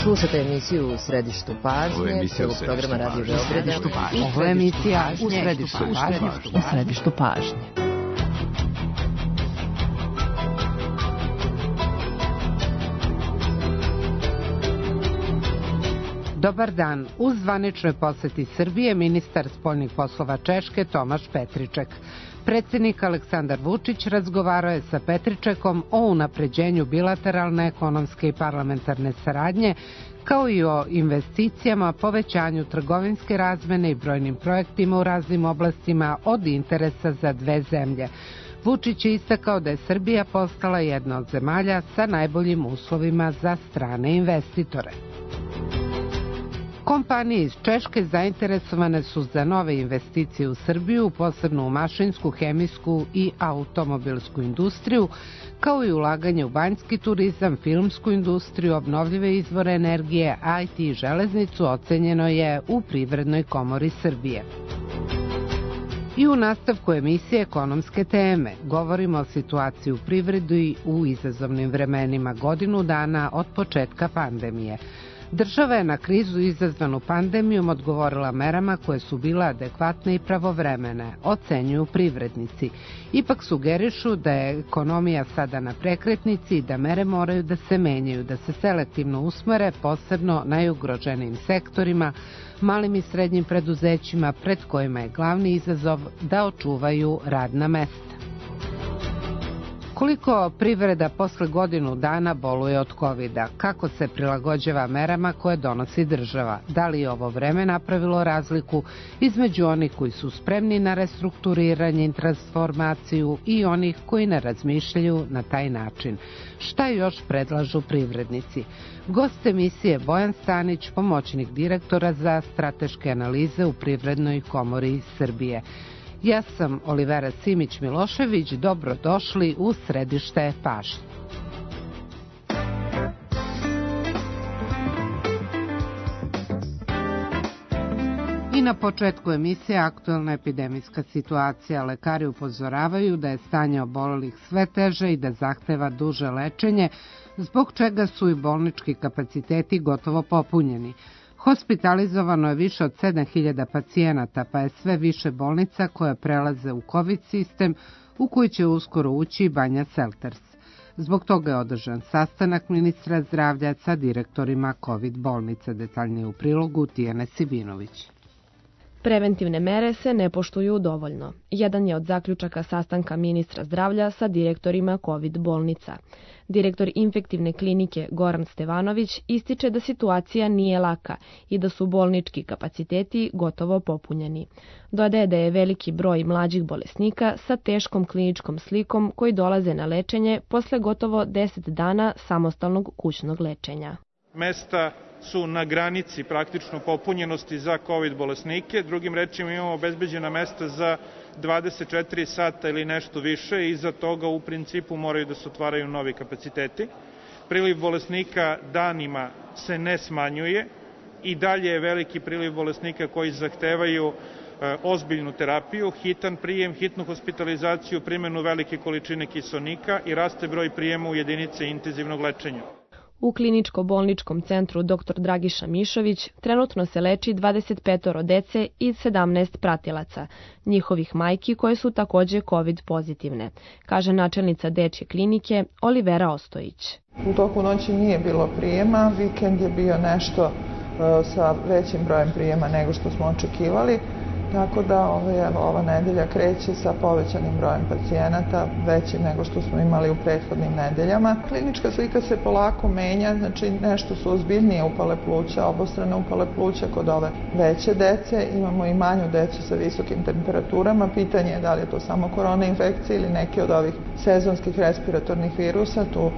Slušate emisiju U središtu pažnje, programa Radio Beograda. Ovo je emisija U središtu pažnje. Dobar dan. U zvaničnoj poseti Srbije ministar spoljnih poslova Češke Tomaš Petriček. Predsjednik Aleksandar Vučić razgovarao je sa Petričekom o unapređenju bilateralne ekonomske i parlamentarne saradnje, kao i o investicijama, povećanju trgovinske razmene i brojnim projektima u raznim oblastima od interesa za dve zemlje. Vučić je istakao da je Srbija postala jedna od zemalja sa najboljim uslovima za strane investitore. Kompanije iz Češke zainteresovane su za nove investicije u Srbiju, posebno u mašinsku, hemijsku i automobilsku industriju, kao i ulaganje u banjski turizam, filmsku industriju, obnovljive izvore energije, IT i železnicu ocenjeno je u Privrednoj komori Srbije. I u nastavku emisije Ekonomske teme govorimo o situaciji u privredi u izazovnim vremenima godinu dana od početka pandemije. Država je na krizu izazvanu pandemijom odgovorila merama koje su bile adekvatne i pravovremene, ocenjuju privrednici. Ipak sugerišu da je ekonomija sada na prekretnici i da mere moraju da se menjaju, da se selektivno usmere posebno najugroženijim sektorima, malim i srednjim preduzećima pred kojima je glavni izazov da očuvaju radna mesta. Koliko privreda posle godinu dana boluje od COVID-a? Kako se prilagođava merama koje donosi država? Da li je ovo vreme napravilo razliku između onih koji su spremni na restrukturiranje i transformaciju i onih koji ne razmišljaju na taj način? Šta još predlažu privrednici? Gost emisije Bojan Stanić, pomoćnik direktora za strateške analize u Privrednoj komori Srbije. Ja sam Olivera Simić-Milošević, dobrodošli u središte pažnje. I na početku emisije aktuelna epidemijska situacija. Lekari upozoravaju da je stanje obolelih sve teže i da zahteva duže lečenje, zbog čega su i bolnički kapaciteti gotovo popunjeni. Hospitalizovano je više od 7000 pacijenata, pa je sve više bolnica koje prelaze u COVID sistem, u koji će uskoro ući i Banja Selters. Zbog toga je održan sastanak ministra zdravlja sa direktorima COVID bolnica, detaljnije u prilogu Tijane Sibinović. Preventivne mere se ne poštuju dovoljno. Jedan je od zaključaka sastanka ministra zdravlja sa direktorima COVID bolnica. Direktor infektivne klinike Goran Stevanović ističe da situacija nije laka i da su bolnički kapaciteti gotovo popunjeni. Dodaje da je veliki broj mlađih bolesnika sa teškom kliničkom slikom koji dolaze na lečenje posle gotovo 10 dana samostalnog kućnog lečenja. Mesta su na granici praktično popunjenosti za COVID bolesnike. Drugim rečima imamo obezbeđena mesta za 24 sata ili nešto više i iza toga u principu moraju da se otvaraju novi kapaciteti. Priliv bolesnika danima se ne smanjuje i dalje je veliki priliv bolesnika koji zahtevaju ozbiljnu terapiju, hitan prijem, hitnu hospitalizaciju, primjenu velike količine kiseonika i raste broj prijema u jedinice intenzivnog lečenja. U kliničko-bolničkom centru dr. Dragiša Mišović trenutno se leči 25 dece i 17 pratilaca, njihovih majki koje su takođe COVID pozitivne, kaže načelnica dečje klinike Olivera Ostojić. U toku noći nije bilo prijema, vikend je bio nešto sa većim brojem prijema nego što smo očekivali. Tako da ova nedelja kreće sa povećanim brojem pacijenata, većim nego što smo imali u prethodnim nedeljama. Klinička slika se polako menja, znači nešto su ozbiljnije upale pluća, obostrane upale pluća kod ove veće dece. Imamo i manju decu sa visokim temperaturama. Pitanje je da li je to samo korona infekcija ili neki od ovih sezonskih respiratornih virusa. Tu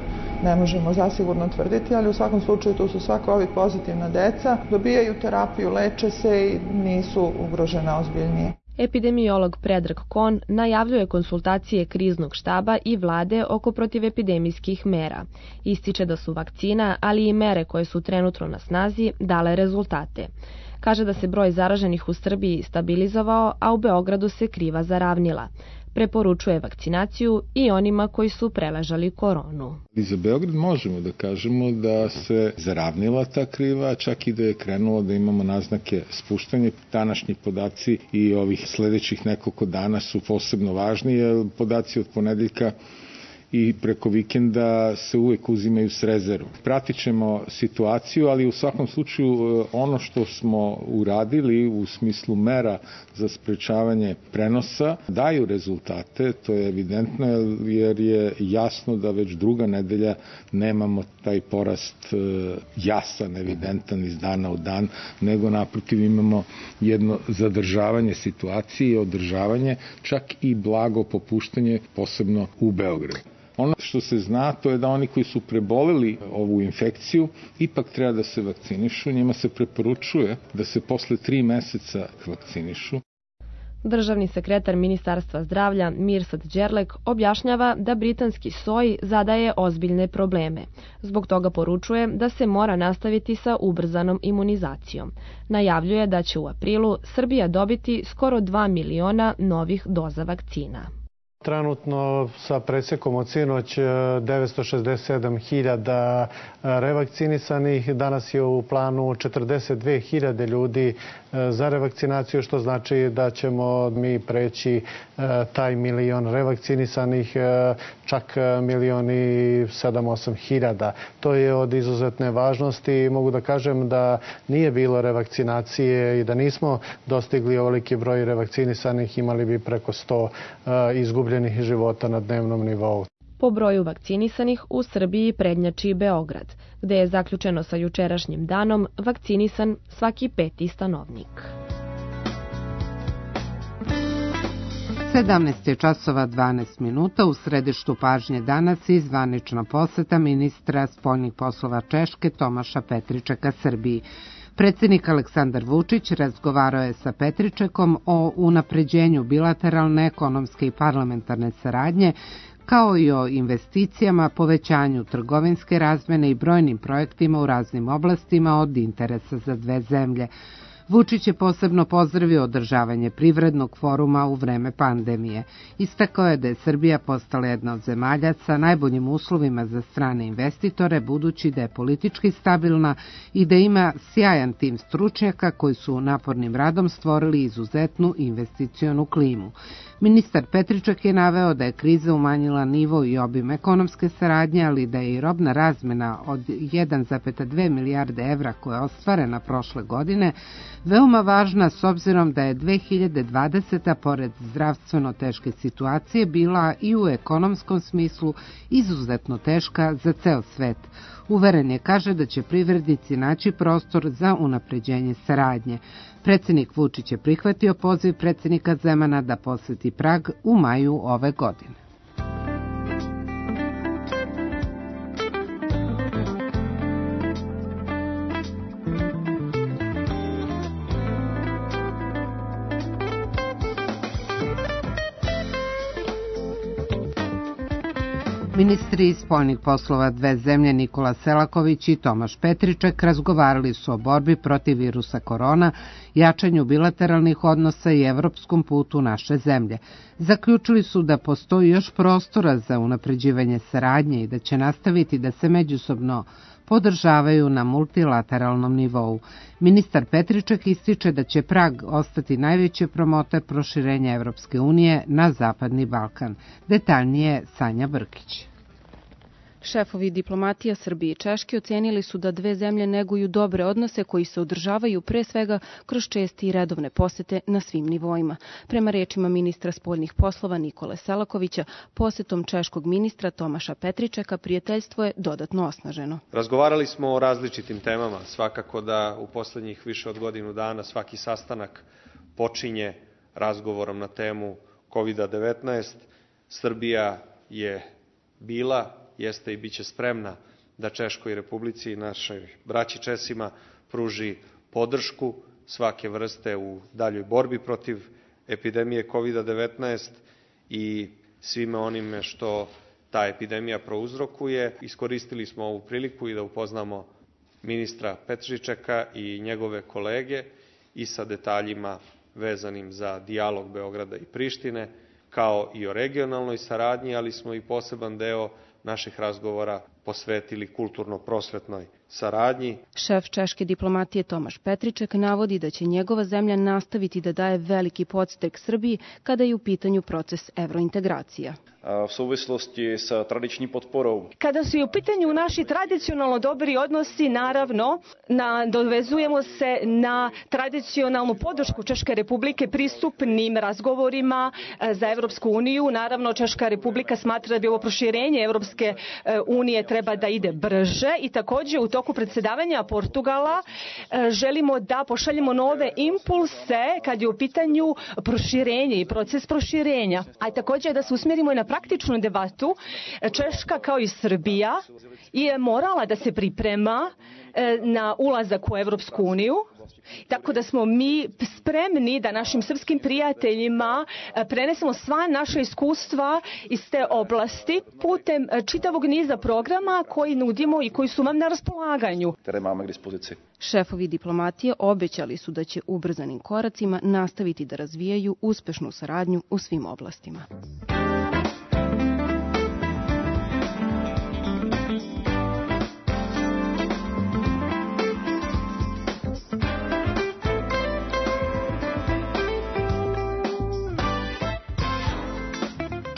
ne možemo zasigurno tvrditi, ali u svakom slučaju tu su sva COVID pozitivna deca, dobijaju terapiju, leče se i nisu ugrožena ozbiljnije. Epidemiolog Predrag Kon najavljuje konsultacije kriznog štaba i vlade oko protivepidemijskih mera. Ističe da su vakcina, ali i mere koje su trenutno na snazi dale rezultate. Kaže da se broj zaraženih u Srbiji stabilizovao, a u Beogradu se kriva zaravnila. Preporučuje vakcinaciju i onima koji su preležali koronu. I za Beograd možemo da kažemo da se zaravnila ta kriva, čak i da je krenulo da imamo naznake spuštanja. Današnji podaci i ovih sledećih nekoliko dana su posebno važni, jer podaci od ponedeljka i preko vikenda se uvek uzimaju s rezervom. Pratit ćemo situaciju, ali u svakom slučaju ono što smo uradili u smislu mera za sprečavanje prenosa daju rezultate, to je evidentno jer je jasno da već druga nedelja nemamo taj porast jasan, evidentan iz dana u dan, nego naprotiv imamo jedno zadržavanje situacije i održavanje, čak i blago popuštanje, posebno u Beogradu. Ono što se zna, to je da oni koji su preboleli ovu infekciju ipak treba da se vakcinišu. Njima se preporučuje da se posle 3 meseca vakcinišu. Državni sekretar Ministarstva zdravlja Mirsad Đerlek objašnjava da britanski soj zadaje ozbiljne probleme. Zbog toga poručuje da se mora nastaviti sa ubrzanom imunizacijom. Najavljuje da će u aprilu Srbija dobiti skoro 2 miliona novih doza vakcina. Trenutno sa presekom od sinoć 967.000 revakcinisanih. Danas je u planu 42.000 ljudi za revakcinaciju, što znači da ćemo mi preći taj milion revakcinisanih, čak 1.708.000. To je od izuzetne važnosti. Mogu da kažem da nije bilo revakcinacije i da nismo dostigli ovoliki broj revakcinisanih, imali bi preko 100 izgubljenih života na dnevnom nivou. Po broju vakcinisanih u Srbiji prednjači Beograd, gde je zaključeno sa jučerašnjim danom vakcinisan svaki 5. stanovnik. 17:12 u središtu pažnje danas i zvanična poseta ministra spoljnih poslova Češke Tomaša Petričeka Srbiji. Predsjednik Aleksandar Vučić razgovarao je sa Petričekom o unapređenju bilateralne, ekonomske i parlamentarne saradnje, kao i o investicijama, povećanju trgovinske razmene i brojnim projektima u raznim oblastima od interesa za dve zemlje. Vučić je posebno pozdravio održavanje privrednog foruma u vreme pandemije. Istakao je da je Srbija postala jedna od zemalja sa najboljim uslovima za strane investitore, budući da je politički stabilna i da ima sjajan tim stručnjaka koji su napornim radom stvorili izuzetnu investicionu klimu. Ministar Petriček je naveo da je kriza umanjila nivo i obim ekonomske saradnje, ali da je i robna razmena od 1,2 milijarde evra koja je ostvarena prošle godine veoma važna s obzirom da je 2020. pored zdravstveno teške situacije bila i u ekonomskom smislu izuzetno teška za ceo svet. Uveren je, kaže, da će privrednici naći prostor za unapređenje saradnje. Predsjednik Vučić je prihvatio poziv predsjednika Zemana da poseti Prag u maju ove godine. Ministri spoljnih poslova dve zemlje Nikola Selaković i Tomaš Petriček razgovarali su o borbi protiv virusa korona, jačanju bilateralnih odnosa i evropskom putu naše zemlje. Zaključili su da postoji još prostora za unapređivanje saradnje i da će nastaviti da se međusobno podržavaju na multilateralnom nivou. Ministar Petriček ističe da će Prag ostati najveći promoter proširenja Evropske unije na Zapadni Balkan. Detaljnije Sanja Brkić. Šefovi diplomatija Srbije i Češke ocenili su da dve zemlje neguju dobre odnose koji se održavaju pre svega kroz česte i redovne posete na svim nivoima. Prema rečima ministra spoljnih poslova Nikole Selakovića, posetom češkog ministra Tomaša Petričeka prijateljstvo je dodatno osnaženo. Razgovarali smo o različitim temama. Svakako da u poslednjih više od godinu dana svaki sastanak počinje razgovorom na temu COVID-19. Srbija je bila, jeste i bit će spremna da Češkoj Republici i našoj braći Česima pruži podršku svake vrste u daljoj borbi protiv epidemije COVID-19 i svime onime što ta epidemija prouzrokuje. Iskoristili smo ovu priliku i da upoznamo ministra Petričeka i njegove kolege i sa detaljima vezanim za dijalog Beograda i Prištine, kao i o regionalnoj saradnji, ali smo i poseban deo naših razgovora posvetili kulturno-prosvetnoj saradnji. Šef češke diplomatije Tomaš Petriček navodi da će njegova zemlja nastaviti da daje veliki podstrek Srbiji kada je u pitanju proces evrointegracija. V súvislosti sa tradičním podporou. Kada su u pitanju naši tradicionalno dobri odnosi, naravno, dovezujemo se na tradicionalnu podršku Češke republike pristupnim razgovorima za Evropsku uniju. Naravno, Češka republika smatra da bi ovo proširenje Evropske unije treba da ide brže i također u toku predsjedavanja Portugala želimo da pošaljemo nove impulse kad je u pitanju proširenje i proces proširenja. A također da se usmjerimo i na praktičnu debatu. Češka kao i Srbija je morala da se priprema na ulazak u Evropsku uniju. Tako da smo mi spremni da našim srpskim prijateljima prenesemo sva naša iskustva iz te oblasti putem čitavog niza programa koji nudimo i koji su vam na raspolaganju. Šefovi diplomatije obećali su da će ubrzanim koracima nastaviti da razvijaju uspešnu saradnju u svim oblastima.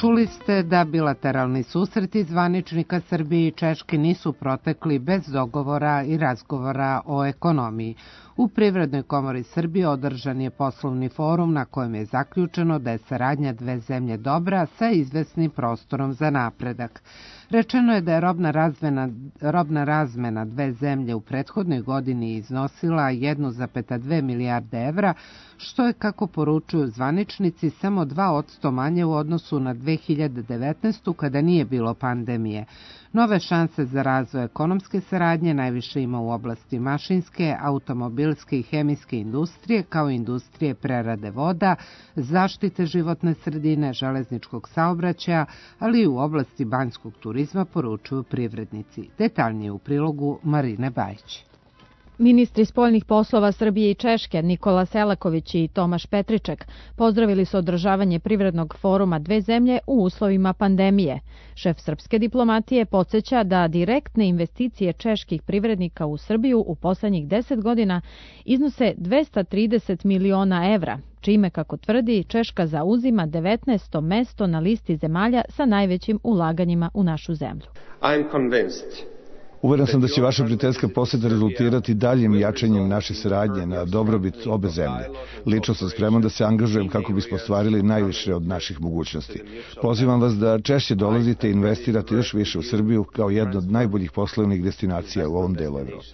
Čuli ste da bilateralni susreti zvaničnika Srbije i Češke nisu protekli bez dogovora i razgovora o ekonomiji. U Privrednoj komori Srbije održan je poslovni forum na kojem je zaključeno da je saradnja dve zemlje dobra sa izvesnim prostorom za napredak. Rečeno je da je robna razmena dve zemlje u prethodnoj godini iznosila 1,2 milijarde evra, što je, kako poručuju zvaničnici, samo 2% manje u odnosu na 2019. kada nije bilo pandemije. Nove šanse za razvoj ekonomske saradnje najviše ima u oblasti mašinske, automobilske i hemijske industrije, kao i industrije prerade voda, zaštite životne sredine, železničkog saobraćaja, ali i u oblasti banjskog turizma, poručuju privrednici. Detaljnije u prilogu Marine Bajić. Ministri spoljnih poslova Srbije i Češke Nikola Selaković i Tomaš Petriček pozdravili su održavanje privrednog foruma dve zemlje u uslovima pandemije. Šef srpske diplomatije podsjeća da direktne investicije čeških privrednika u Srbiju u poslednjih 10 godina iznose 230 miliona evra, čime, kako tvrdi, Češka zauzima 19. mesto na listi zemalja sa najvećim ulaganjima u našu zemlju. Uveren sam da će vaša prijateljska poseta rezultirati daljim jačanjem naše saradnje na dobrobit obe zemlje. Lično sam spreman da se angažujem kako bismo ostvarili najviše od naših mogućnosti. Pozivam vas da češće dolazite i investirate još više u Srbiju kao jednu od najboljih poslovnih destinacija u ovom delu Evrope.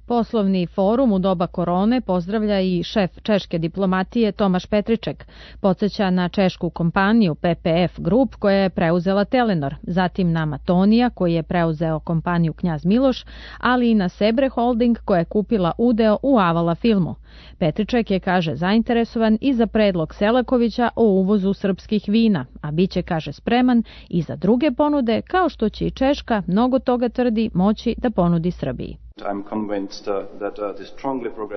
Poslovni forum u doba korone pozdravlja i šef češke diplomatije Tomaš Petriček. Podsjeća na češku kompaniju PPF Group koja je preuzela Telenor, zatim na Matonija koji je preuzeo kompaniju Knjaz Miloš, ali i na Sebre Holding koja je kupila udeo u Avala filmu. Petriček je, kaže, zainteresovan i za predlog Selakovića o uvozu srpskih vina, a biće, kaže, spreman i za druge ponude, kao što će i Češka, mnogo toga tvrdi, moći da ponudi Srbiji.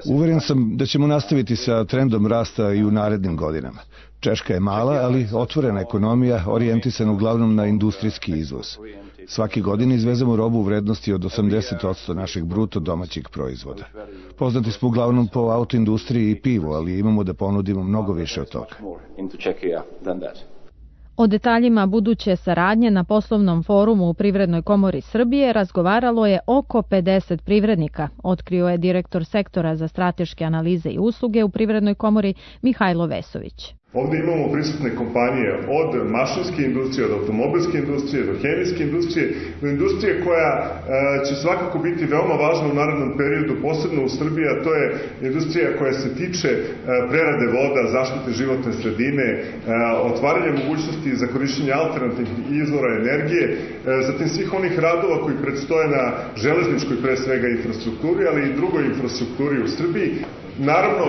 Uveren sam da ćemo nastaviti sa trendom rasta i u narednim godinama. Češka je mala, ali otvorena ekonomija, orijentisana uglavnom na industrijski izvoz. Svake godine izvezemo robu u vrednosti od 80% našeg bruto domaćeg proizvoda. Poznati smo uglavnom po autoindustriji i pivu, ali imamo da ponudimo mnogo više od toga. O detaljima buduće saradnje na poslovnom forumu u Privrednoj komori Srbije razgovaralo je oko 50 privrednika, otkrio je direktor sektora za strateške analize i usluge u Privrednoj komori Mihajlo Vesović. Ovdje imamo prisutne kompanije od mašinske industrije, od automobilske industrije, do hemijske industrije, do industrije koja će svakako biti veoma važna u narednom periodu, posebno u Srbiji, a to je industrija koja se tiče prerade voda, zaštite životne sredine, otvaranja mogućnosti za korišćenje alternativnih izvora energije, zatim svih onih radova koji predstoje na železničkoj pre svega infrastrukturi, ali i drugoj infrastrukturi u Srbiji. Naravno,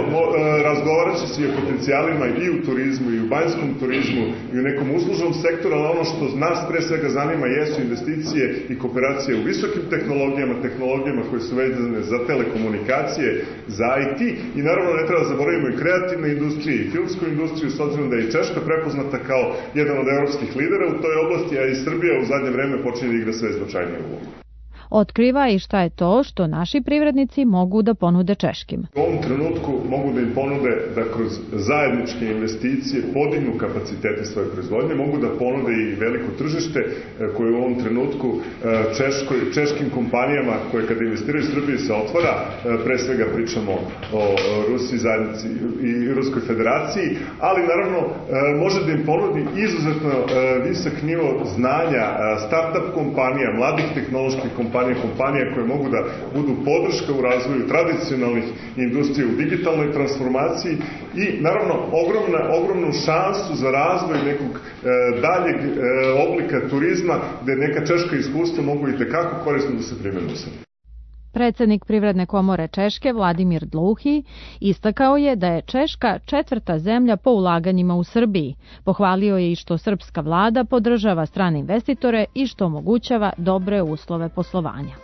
razgovarat će se i o potencijalima i u turizmu, i u banjskom turizmu, i u nekom uslužnom sektoru, ali ono što nas pre svega zanima jesu investicije i kooperacije u visokim tehnologijama koje su vezane za telekomunikacije, za IT, i naravno ne treba zaboravimo i kreativne industrije i filmsku industriju, s obzirom da je i Češka prepoznata kao jedan od evropskih lidera u toj oblasti, a i Srbija u zadnje vreme počinje da igra sve značajniju ulogu. Otkriva i šta je to što naši privrednici mogu da ponude češkim. U ovom trenutku mogu da im ponude da kroz zajedničke investicije podignu kapacitete svoje proizvodnje, mogu da ponude i veliko tržište koje u ovom trenutku češkim kompanijama koje kada investiraju u Srbiji se otvara, pre svega pričamo o Rusiji zajednici i Ruskoj federaciji, ali naravno može da im ponudi izuzetno visok nivo znanja, start-up kompanija, mladih tehnoloških kompanija koje mogu da budu podrška u razvoju tradicionalnih industrija u digitalnoj transformaciji i naravno ogromnu šansu za razvoj nekog daljeg oblika turizma gde neka češka iskustva mogu i tekako korisno da se primene u Srbiji. Predsednik Privredne komore Češke Vladimir Dlouhi istakao je da je Češka 4. zemlja po ulaganjima u Srbiji. Pohvalio je i što srpska vlada podržava strane investitore i što omogućava dobre uslove poslovanja.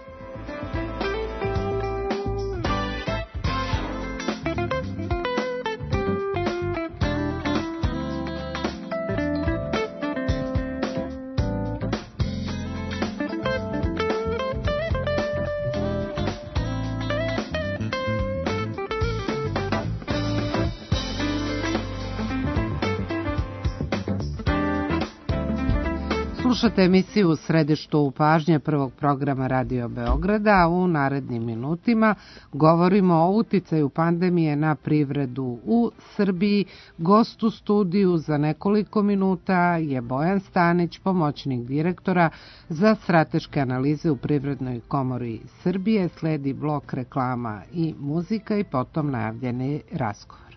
Slušate emisiju u središtu pažnje prvog programa Radio Beograda. U narednim minutima govorimo o uticaju pandemije na privredu u Srbiji. Gost u studiju za nekoliko minuta je Bojan Stanić, pomoćnik direktora za strateške analize u Privrednoj komori Srbije. Sledi blok reklama i muzika i potom najavljeni razgovor.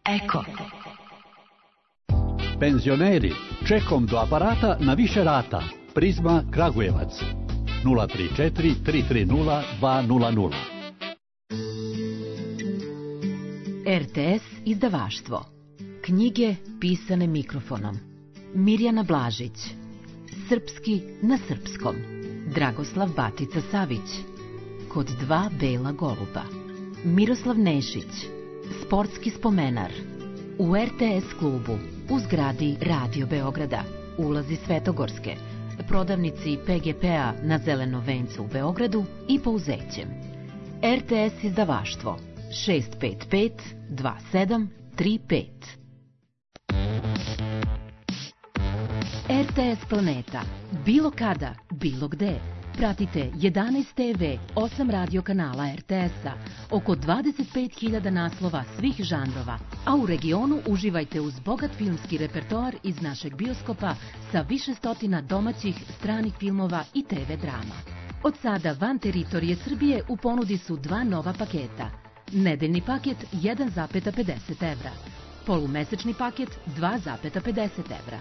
Eko. Penzioneri, čekom do aparata na više rata. Prizma Kragujevac 034 330 200. RTS izdavaštvo. Knjige pisane mikrofonom. Mirjana Blažić. Srpski na srpskom. Dragoslav Batica Savić. Kod dva bela goluba. Miroslav Nešić. Sportski spomenar. U RTS klubu. U zgradi Radio Beograda, ulazi Svetogorske, prodavnici PGP-a na Zelenom vencu u Beogradu i Pouzećem. RTS izdavaštvo 655 2735. RTS Planeta. Bilo kada, bilo gde. Pratite 11 TV, 8 radio kanala RTS-a, oko 25.000 naslova svih žanrova, a u regionu uživajte uz bogat filmski repertoar iz našeg bioskopa sa više stotina domaćih, stranih filmova i TV drama. Od sada van teritorije Srbije u ponudi su dva nova paketa. Nedeljni paket 1,50 evra, polumesečni paket 2,50 evra.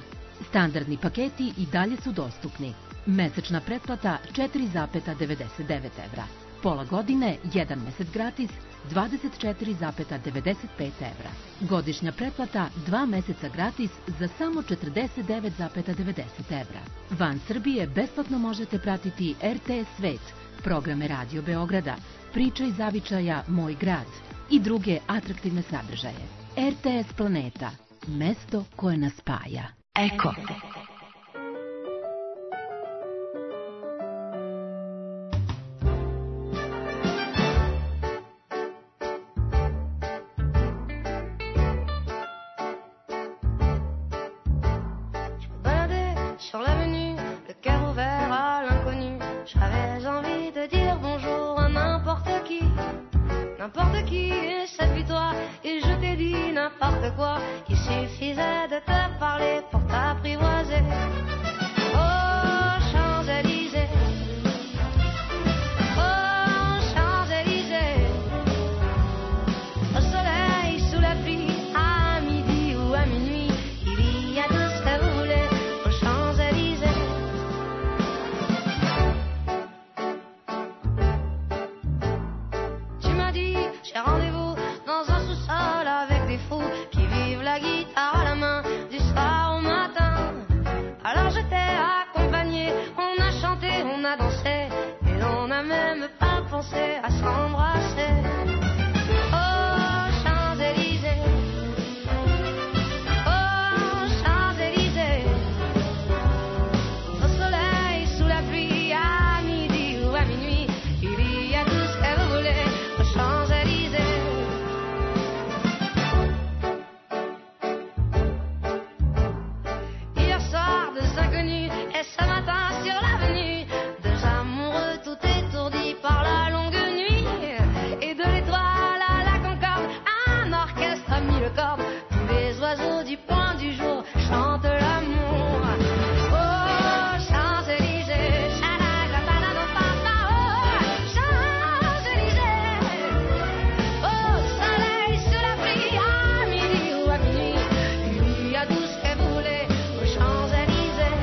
Standardni paketi i dalje su dostupni. Mesečna pretplata 4,99 evra. Pola godine, 1 mesec gratis, 24,95 evra. Godišnja pretplata 2 meseca gratis za samo 49,90 evra. Van Srbije besplatno možete pratiti RTS Svet, programe Radio Beograda, Priča iz zavičaja Moj grad i druge atraktivne sadržaje. RTS Planeta, mesto koje nas spaja. Eko. N'importe qui, et cette victoire, et je t'ai dit n'importe quoi. Il suffisait de te parler pour t'apprivoiser. Oh, Champs-Élysées, oh, Champs-Élysées, au soleil, sous la pluie, à midi ou à minuit, il y a tout ce que vous voulez aux Champs-Élysées. Tu m'as dit, j'ai rendez-vous commencer à s'embrasser. Oh, Champs-Élysées, oh, Champs-Élysées, au soleil, sous la pluie, à midi ou à minuit, il y a tout ce que vous voulez aux Champs-Élysées. Hier soir, deux inconnus, et ce matin sur l'avenue, deux amoureux tout étourdis par la longue nuit. Et de l'étoile à la Concorde, un orchestre a mis le cordes. Tous les oiseaux du point du jour chantent l'amour. Oh, Champs-Élysées, cha-la-la-la-la-la-la-la. Oh, Champs-Élysées, au soleil, sous la pluie, à midi ou à minuit, il y a tout ce que vous voulez aux Champs-Élysées.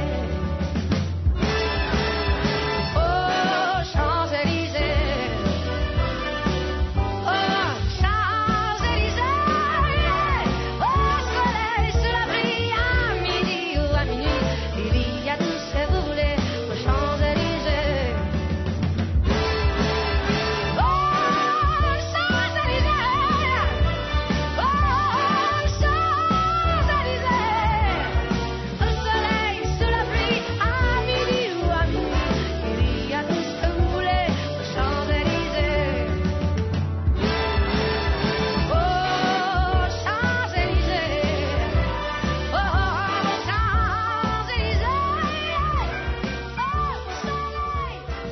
Oh, Champs-Élysées, oh, Champs-Élysées, au soleil, sous la pluie, à midi ou à minuit, il y a tout ce que vous voulez aux Champs-Élysées. Oh, Champs-Élysées, oh, Champs-Élysées, au soleil, sous la pluie, à midi ou à minuit, il y a tout ce que vous voulez aux Champs-Élysées. Oh, Champs-Élysées, oh, Champs-Élysées, au soleil,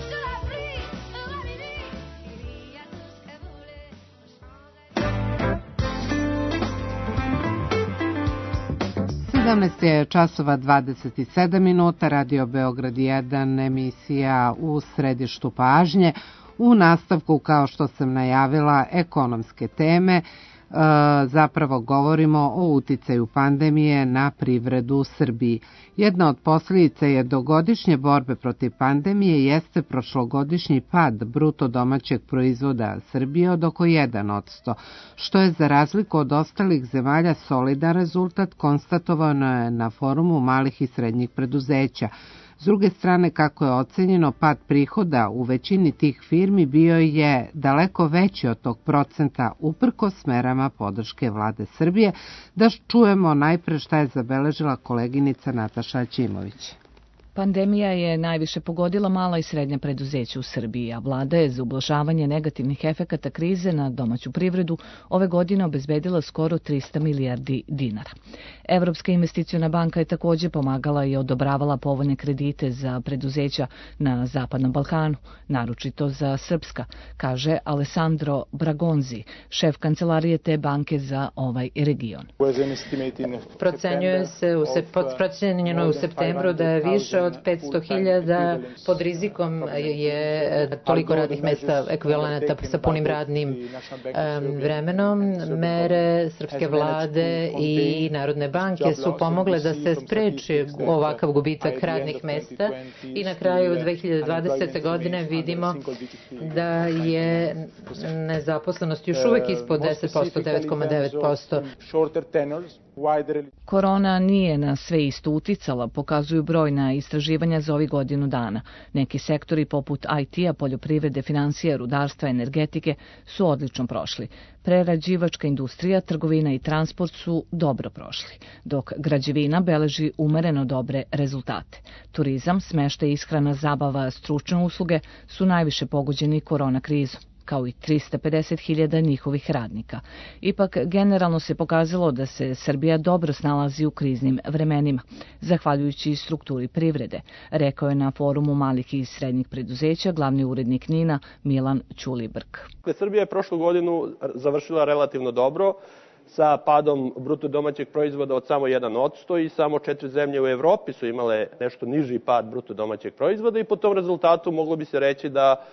sous la pluie, à minuit, il y a tout ce que vous voulez aux Champs-Élysées. 17 je časova 27 minuta, Radio Beograd 1, emisija u središtu pažnje. U nastavku, kao što sam najavila, ekonomske teme, zapravo govorimo o uticaju pandemije na privredu u Srbiji. Jedna od posljedica jednogodišnje borbe protiv pandemije jeste prošlogodišnji pad bruto domaćeg proizvoda Srbije od oko 1%, što je za razliku od ostalih zemalja solidan rezultat, konstatovano je na forumu malih i srednjih preduzeća. S druge strane, kako je ocenjeno, pad prihoda u većini tih firmi bio je daleko veći od tog procenta uprkos merama podrške vlade Srbije. Da čujemo najpre šta je zabeležila koleginica Nataša Ćimović. Pandemija je najviše pogodila mala i srednja preduzeća u Srbiji, a vlada je za ublažavanje negativnih efekata krize na domaću privredu ove godine obezbedila skoro 300 milijardi dinara. Evropska investiciona banka je takođe pomagala i odobravala povoljne kredite za preduzeća na Zapadnom Balkanu, naročito za srpska, kaže Alessandro Bragonzi, šef kancelarije te banke za ovaj region. Procenjuje se u septembru da je više od 500.000 pod rizikom je toliko radnih mesta ekvivalenata sa punim radnim vremenom. Mere srpske vlade i Narodne banke su pomogle da se spreči ovakav gubitak radnih mesta i na kraju 2020. godine vidimo da je nezaposlenost još uvek ispod 10%, 9,9%. Korona nije na sve isto uticala, pokazuju brojna istraživanja za ovih godinu dana. Neki sektori poput IT-a, poljoprivrede, finansija, rudarstva, energetike su odlično prošli. Prerađivačka industrija, trgovina i transport su dobro prošli, dok građevina beleži umereno dobre rezultate. Turizam, smeštaj, ishrana, zabava, stručne usluge su najviše pogođeni korona krizom, kao i 350.000 njihovih radnika. Ipak, generalno se pokazalo da se Srbija dobro snalazi u kriznim vremenima, zahvaljujući strukturi privrede, rekao je na forumu malih i srednjih preduzeća glavni urednik NIN-a Milan Ćulibrk. Srbija je prošlu godinu završila relativno dobro, sa padom bruto domaćeg proizvoda od samo 1% i samo 4 zemlje u Evropi su imale nešto niži pad bruto domaćeg proizvoda i po tom rezultatu moglo bi se reći da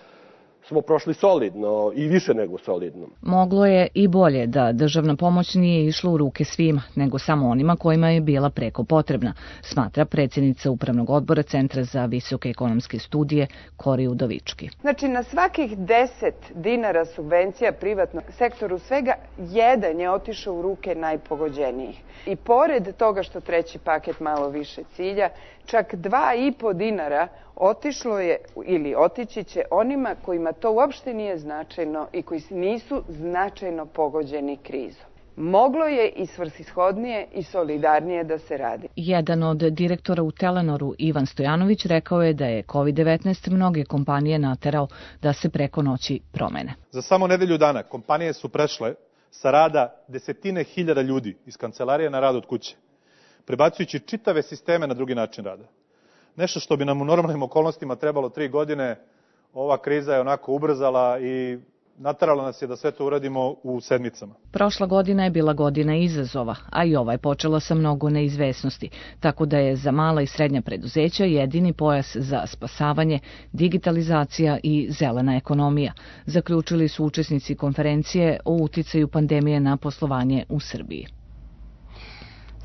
smo prošli solidno i više nego solidno. Moglo je i bolje da državna pomoć nije išla u ruke svima, nego samo onima kojima je bila preko potrebna, smatra predsjednica Upravnog odbora Centra za visoke ekonomske studije Kori Udovički. Znači, na svakih 10 dinara subvencija privatnog sektoru, svega jedan je otišao u ruke najpogođenijih. I pored toga što treći paket malo više cilja, čak 2,5 dinara otišlo je ili otići će onima kojima to uopšte nije značajno i koji nisu značajno pogođeni krizom. Moglo je i svrsishodnije i solidarnije da se radi. Jedan od direktora u Telenoru, Ivan Stojanović, rekao je da je COVID-19 mnoge kompanije naterao da se preko noći promene. Za samo nedelju dana kompanije su prešle sa rada desetine hiljada ljudi iz kancelarije na rad od kuće, prebacujući čitave sisteme na drugi način rada. Nešto što bi nam u normalnim okolnostima trebalo 3 godine, ova kriza je onako ubrzala i naterala nas je da sve to uradimo u sedmicama. Prošla godina je bila godina izazova, a i ova je počela sa mnogo neizvesnosti, tako da je za mala i srednja preduzeća jedini pojas za spasavanje digitalizacija i zelena ekonomija, zaključili su učesnici konferencije o uticaju pandemije na poslovanje u Srbiji.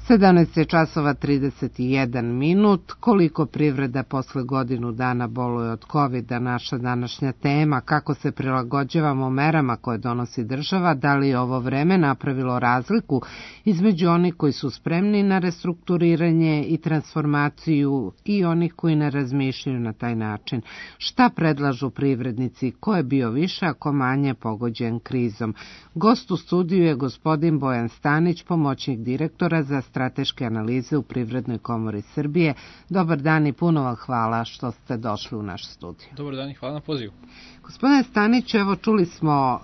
17 je časova 31 minut. Koliko privreda posle godinu dana boluje od COVID-a, naša današnja tema, kako se prilagođavamo merama koje donosi država, da li je ovo vreme napravilo razliku između onih koji su spremni na restrukturiranje i transformaciju i onih koji ne razmišljaju na taj način. Šta predlažu privrednici, ko je bio više, a ko manje pogođen krizom? Gost u studiju je gospodin Bojan Stanić, pomoćnik direktora za strateške analize u Privrednoj komori Srbije. Dobar dan i puno vam hvala što ste došli u naš studiju. Dobar dan i hvala na pozivu. Gospodine Stanić, evo čuli smo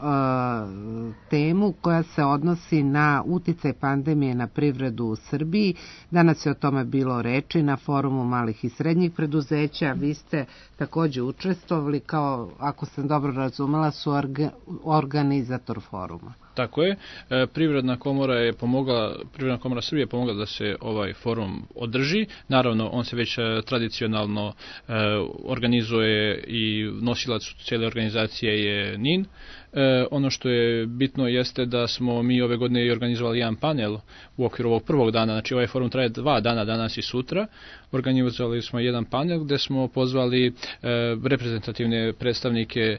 temu koja se odnosi na uticaj pandemije na privredu u Srbiji. Danas je o tome bilo reči na forumu malih i srednjih preduzeća. Vi ste takođe učestvovali kao, ako sam dobro razumela, su organizator foruma. Tako je. Privredna komora Srbije je pomogla da se ovaj forum održi. Naravno, on se već tradicionalno organizuje i nosilac cijele organizacije je NIN. Ono što je bitno jeste da smo mi ove godine i organizovali jedan panel u okviru ovog prvog dana, znači ovaj forum traje 2 dana, danas i sutra. Organizovali smo jedan panel gde smo pozvali reprezentativne predstavnike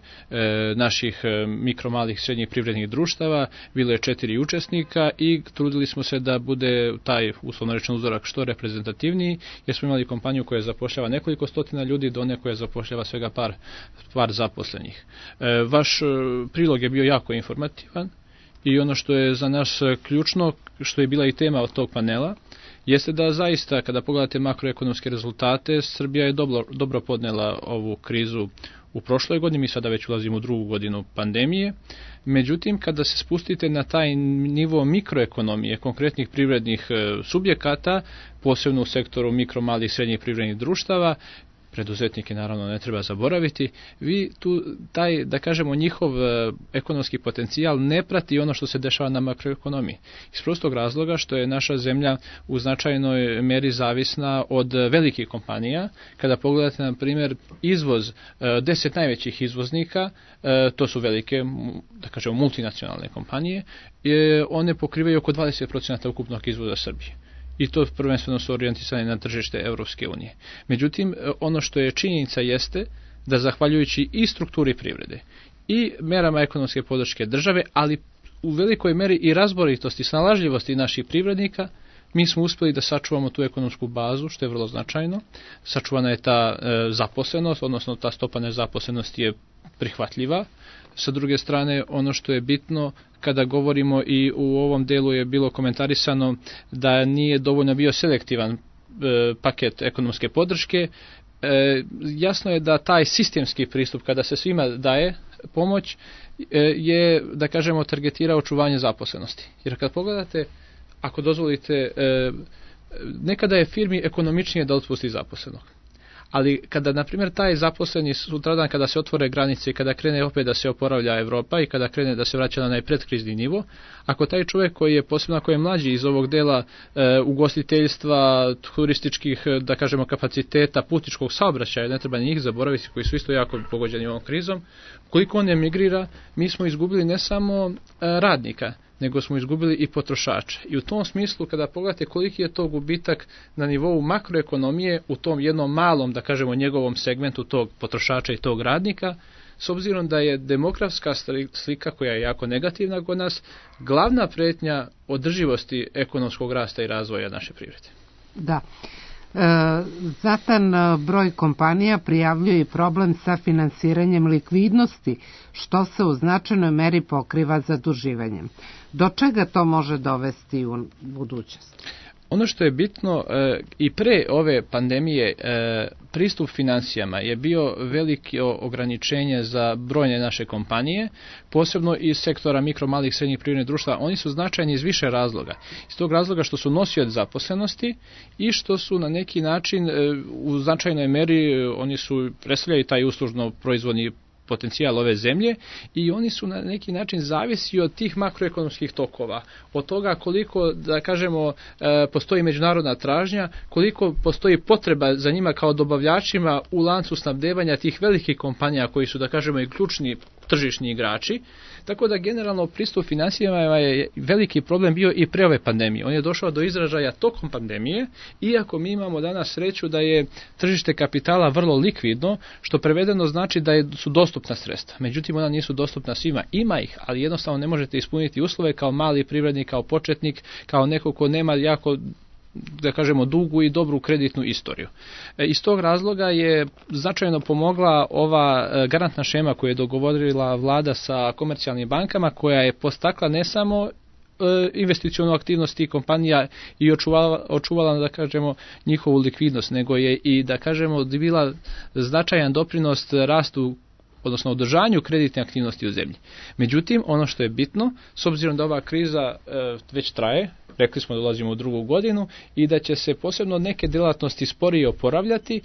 naših mikro, malih, srednjih privrednih društava, bilo je 4 učesnika i trudili smo se da bude taj, uslovno rečen, uzorak što reprezentativniji, jer smo imali kompaniju koja zapošljava nekoliko stotina ljudi do one koja zapošljava svega par zaposlenih. Vaš prilog je bio jako informativan i ono što je za nas ključno, što je bila i tema od tog panela, jeste da zaista kada pogledate makroekonomske rezultate, Srbija je dobro podnela ovu krizu u prošloj godini, mi sada već ulazimo u drugu godinu pandemije. Međutim, kada se spustite na taj nivo mikroekonomije, konkretnih privrednih subjekata, posebno u sektoru mikro, malih i srednjih privrednih društava, preduzetnike naravno ne treba zaboraviti, vi tu taj, da kažemo, njihov ekonomski potencijal ne prati ono što se dešava na makroekonomiji. Iz prostog razloga što je naša zemlja u značajnoj meri zavisna od velikih kompanija. Kada pogledate, na primjer, izvoz 10 najvećih izvoznika, to su velike, da kažemo, multinacionalne kompanije, one pokrivaju oko 20% ukupnog izvoza Srbije. I to prvenstveno su orijentisane na tržište Evropske unije. Međutim, ono što je činjenica jeste da zahvaljujući i strukturi privrede i merama ekonomske podrške države, ali u velikoj meri i razboritosti, snalažljivosti naših privrednika, mi smo uspeli da sačuvamo tu ekonomsku bazu, što je vrlo značajno. Sačuvana je ta zaposlenost, odnosno ta stopa nezaposlenosti je prihvatljiva. Sa druge strane, ono što je bitno, kada govorimo i u ovom delu je bilo komentarisano da nije dovoljno bio selektivan paket ekonomske podrške, jasno je da taj sistemski pristup, kada se svima daje pomoć, je, da kažemo, targetira očuvanje zaposlenosti. Jer kad pogledate, ako dozvolite, nekada je firmi ekonomičnije da otpusti zaposlenog. Ali kada, na primjer, taj zaposleni sutradan, kada se otvore granice i kada krene opet da se oporavlja Evropa i kada krene da se vraća na najpredkrizni nivo, ako taj čovjek koji je, posebno ako je mlađi iz ovog dela ugostiteljstva, turističkih, da kažemo, kapaciteta, putničkog saobraćaja, ne treba njih zaboraviti, koji su isto jako pogođeni ovom krizom, koliko on emigrira, mi smo izgubili ne samo radnika, nego smo izgubili i potrošača. I u tom smislu, kada pogledate koliki je to gubitak na nivou makroekonomije u tom jednom malom, da kažemo, njegovom segmentu tog potrošača i tog radnika, s obzirom da je demografska slika koja je jako negativna kod nas, glavna pretnja održivosti ekonomskog rasta i razvoja naše privrede. Da. Znatan broj kompanija prijavljuje i problem sa finansiranjem likvidnosti, što se u značajnoj meri pokriva zaduživanjem. Do čega to može dovesti u budućnosti? Ono što je bitno i pre ove pandemije, pristup financijama je bio veliko ograničenje za brojne naše kompanije, posebno iz sektora mikro, malih, srednjih privrednih društva. Oni su značajni iz više razloga. Iz tog razloga što su nosioci zaposlenosti i što su na neki način u značajnoj meri, oni su predstavljaju taj uslužno proizvodni potencijal ove zemlje i oni su na neki način zavisi od tih makroekonomskih tokova, od toga koliko, da kažemo, postoji međunarodna tražnja, koliko postoji potreba za njima kao dobavljačima u lancu snabdevanja tih velikih kompanija koji su, da kažemo, i ključni tržišni igrači. Tako da generalno pristup financijama je veliki problem bio i pre ove pandemije. On je došao do izražaja tokom pandemije, iako mi imamo danas sreću da je tržište kapitala vrlo likvidno, što prevedeno znači da su dostupna sredstva. Međutim, ona nisu dostupna svima. Ima ih, ali jednostavno ne možete ispuniti uslove kao mali privrednik, kao početnik, kao neko ko nema jako, da kažemo, dugu i dobru kreditnu istoriju. Iz tog razloga je značajno pomogla ova garantna šema koju je dogovorila vlada sa komercijalnim bankama, koja je postakla ne samo investicionu aktivnost tih kompanija i očuvala, da kažemo, njihovu likvidnost, nego je i, da kažemo, bila značajan doprinos rastu, odnosno održanju kreditne aktivnosti u zemlji. Međutim, ono što je bitno, s obzirom da ova kriza već traje, rekli smo da dolazimo u drugu godinu i da će se posebno neke djelatnosti sporije oporavljati,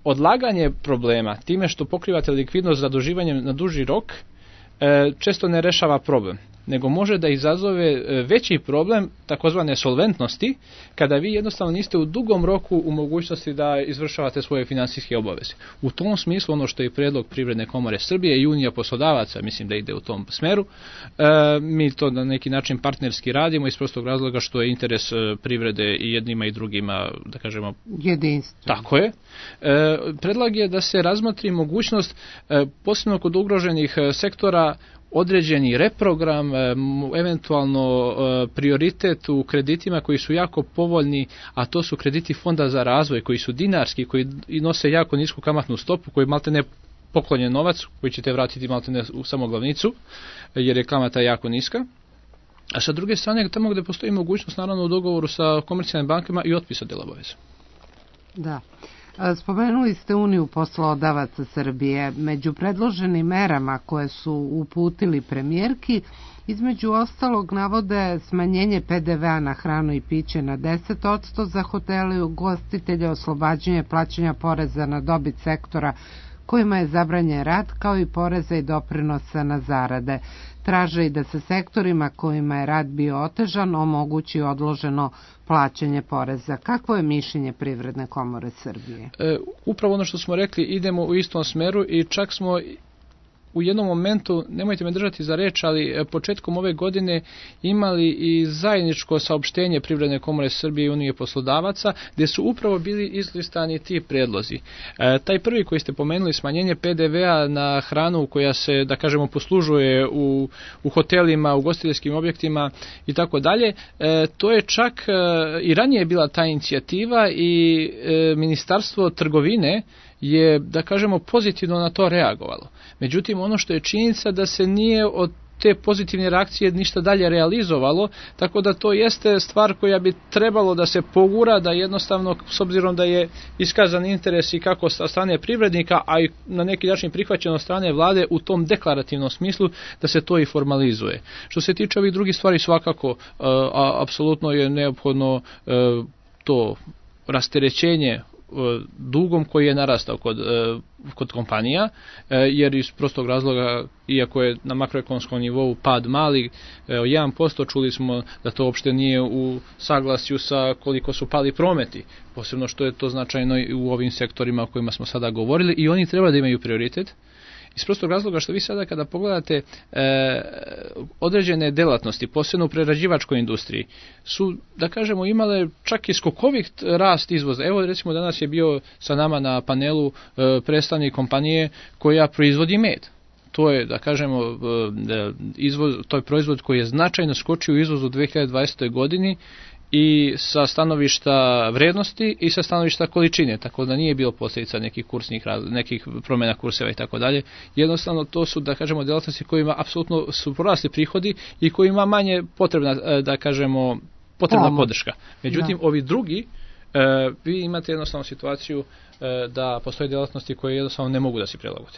odlaganje problema time što pokrivate likvidnost zaduživanjem na duži rok često ne rešava problem, nego može da izazove veći problem takozvane solventnosti, kada vi jednostavno niste u dugom roku u mogućnosti da izvršavate svoje finansijske obaveze. U tom smislu, ono što je predlog Privredne komore Srbije i Unija poslodavaca, mislim da ide u tom smeru, mi to na neki način partnerski radimo iz prostog razloga što je interes privrede i jednima i drugima, da kažemo, jedinstvo. Tako je. Predlog je da se razmotri mogućnost, posebno kod ugroženih sektora, određeni reprogram, eventualno prioritet u kreditima koji su jako povoljni, a to su krediti Fonda za razvoj, koji su dinarski, koji nose jako nisku kamatnu stopu, koji maltene poklonjen novac, koji ćete vratiti maltene u samoglavnicu, jer je kamata jako niska. A sa druge strane, tamo gdje postoji mogućnost, naravno u dogovoru sa komercijalnim bankama, i otpisa dela obaveza. Da. Spomenuli ste Uniju poslodavaca Srbije. Među predloženim merama koje su uputili premijerki, između ostalog navode smanjenje PDV-a na hranu i piće na 10% za hotele i ugostitelje, oslobađanje plaćanja poreza na dobit sektora kojima je zabranjen rad, kao i poreza i doprinosa na zarade. Traže i da se sektorima kojima je rad bio otežan omogući odloženo plaćanje poreza. Kakvo je mišljenje Privredne komore Srbije? Upravo ono što smo rekli, idemo u istom smeru i čak smo u jednom momentu, nemojte me držati za reč, ali početkom ove godine imali i zajedničko saopštenje Privredne komore Srbije i Unije poslodavaca, gdje su upravo bili izlistani ti predlozi. Taj prvi koji ste pomenuli, smanjenje PDV-a na hranu koja se, da kažemo, poslužuje u hotelima, u ugostiteljskim objektima i tako dalje, to je čak i ranije bila ta inicijativa i Ministarstvo trgovine je, da kažemo, pozitivno na to reagovalo. Međutim, ono što je činjenica da se nije od te pozitivne reakcije ništa dalje realizovalo, tako da to jeste stvar koja bi trebalo da se pogura, da jednostavno, s obzirom da je iskazan interes i kako sa strane privrednika, a i na neki način prihvaćeno od strane vlade u tom deklarativnom smislu, da se to i formalizuje. Što se tiče ovih drugih stvari, svakako, apsolutno je neophodno to rasterećenje dugom koji je narastao kod kompanija, jer iz prostog razloga, iako je na makroekonomskom nivou pad mali, 1%, čuli smo da to uopšte nije u saglasju sa koliko su pali prometi, posebno što je to značajno i u ovim sektorima o kojima smo sada govorili, i oni treba da imaju prioritet. Iz prostog razloga što vi sada kada pogledate određene delatnosti, posebno u prerađivačkoj industriji, su, da kažemo, imale čak i skokovit rast izvoza. Evo, recimo, danas je bio sa nama na panelu predstavnik kompanije koja proizvodi med. To je, da kažemo, to je proizvod koji je značajno skočio u izvozu u 2020. godini i sa stanovišta vrednosti i sa stanovišta količine, tako da nije bilo posljedica nekih promjena kurseva i tako dalje. Jednostavno to su, da kažemo, djelatnosti kojima apsolutno su porasli prihodi i kojima manje potrebna, da kažemo, potrebna podrška. Međutim, ovi drugi, vi imate jednostavno situaciju da postoje djelatnosti koje jednostavno ne mogu da se prilagode.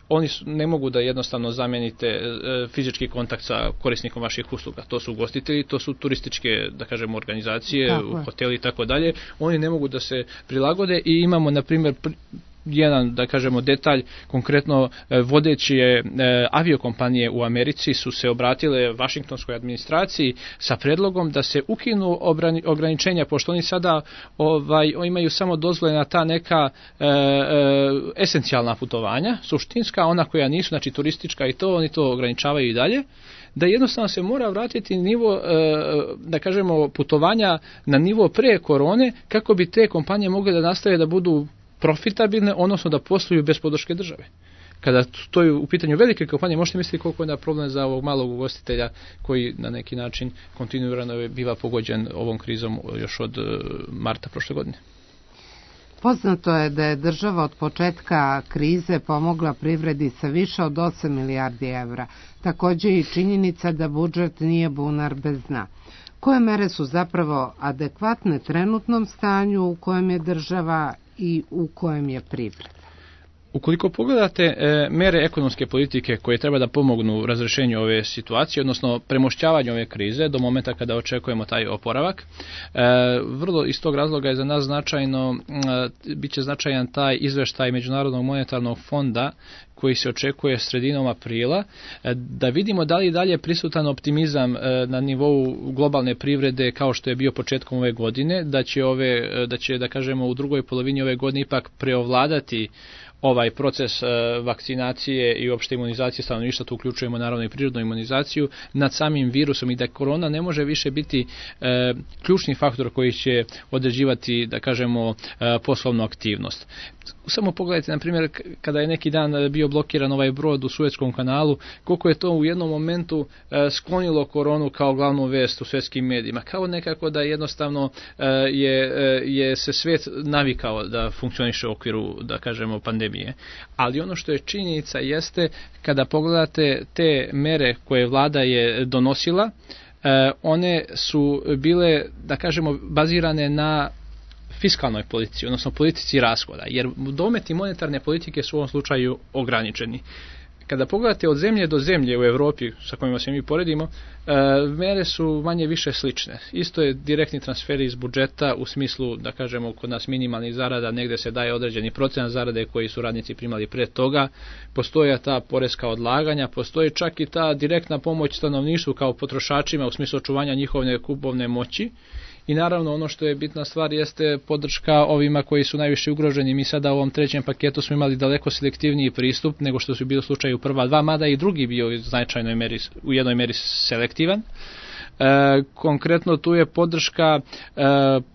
Oni ne mogu da jednostavno zamijenite fizički kontakt sa korisnikom vaših usluga. To su ugostitelji, to su turističke, da kažemo, organizacije, hoteli i tako dalje. Oni ne mogu da se prilagode i imamo, na primjer, jedan, da kažemo, detalj, konkretno vodeće aviokompanije u Americi su se obratile Vašingtonskoj administraciji sa predlogom da se ukinu ograničenja, pošto oni sada imaju samo dozvole na ta neka esencijalna putovanja, suštinska, ona koja nisu, znači turistička i to, oni to ograničavaju i dalje, da jednostavno se mora vratiti nivo, da kažemo, putovanja na nivo pre korone, kako bi te kompanije mogle da nastave da budu profitabilne, odnosno da posluju bez podrške države. Kada to je u pitanju velike kompanije, možete misliti koliko je da problem za ovog malog ugostitelja koji na neki način kontinuirano biva pogođen ovom krizom još od marta prošle godine. Poznato je da je država od početka krize pomogla privredi sa više od 8 milijardi evra. Također i činjenica da budžet nije bunar bez dna. Koje mere su zapravo adekvatne trenutnom stanju u kojem je država i u kojem je privreda? Ukoliko pogledate mere ekonomske politike koje treba da pomognu razrešenju ove situacije, odnosno premošćavanju ove krize do momenta kada očekujemo taj oporavak, vrlo iz tog razloga je za nas značajno, bit će značajan taj izveštaj Međunarodnog monetarnog fonda koji se očekuje sredinom aprila, da vidimo da li dalje prisutan optimizam na nivou globalne privrede kao što je bio početkom ove godine, da će da kažemo u drugoj polovini ove godine ipak preovladati ovaj proces vakcinacije i opšte imunizacije stanovništva, tu uključujemo naravno i prirodnu imunizaciju nad samim virusom i da korona ne može više biti ključni faktor koji će određivati, da kažemo, poslovnu aktivnost. Samo pogledajte, na primjer, kada je neki dan bio blokiran ovaj brod u Suetskom kanalu, koliko je to u jednom momentu sklonilo koronu kao glavnu vest u svjetskim medijima. Kao nekako da jednostavno je se svijet navikao da funkcioniše u okviru, da kažemo, pandemije. Ali ono što je činjenica jeste, kada pogledate te mere koje vlada je donosila, one su bile, da kažemo, bazirane na fiskalnoj politici, odnosno politici rashoda, jer dometi monetarne politike su u ovom slučaju ograničeni. Kada pogledate od zemlje do zemlje u Europi, sa kojima se mi poredimo, mere su manje više slične. Isto je direktni transferi iz budžeta u smislu, da kažemo, kod nas minimalnih zarada, negde se daje određeni procenat zarade koji su radnici primali pre toga, postoje ta poreska odlaganja, postoji čak i ta direktna pomoć stanovništvu kao potrošačima u smislu očuvanja njihove kupovne moći. I naravno ono što je bitna stvar jeste podrška ovima koji su najviše ugroženi. Mi sada u ovom trećem paketu smo imali daleko selektivniji pristup nego što su bili u slučaju prva dva, mada i drugi bio u jednoj meri selektivan. Konkretno tu je podrška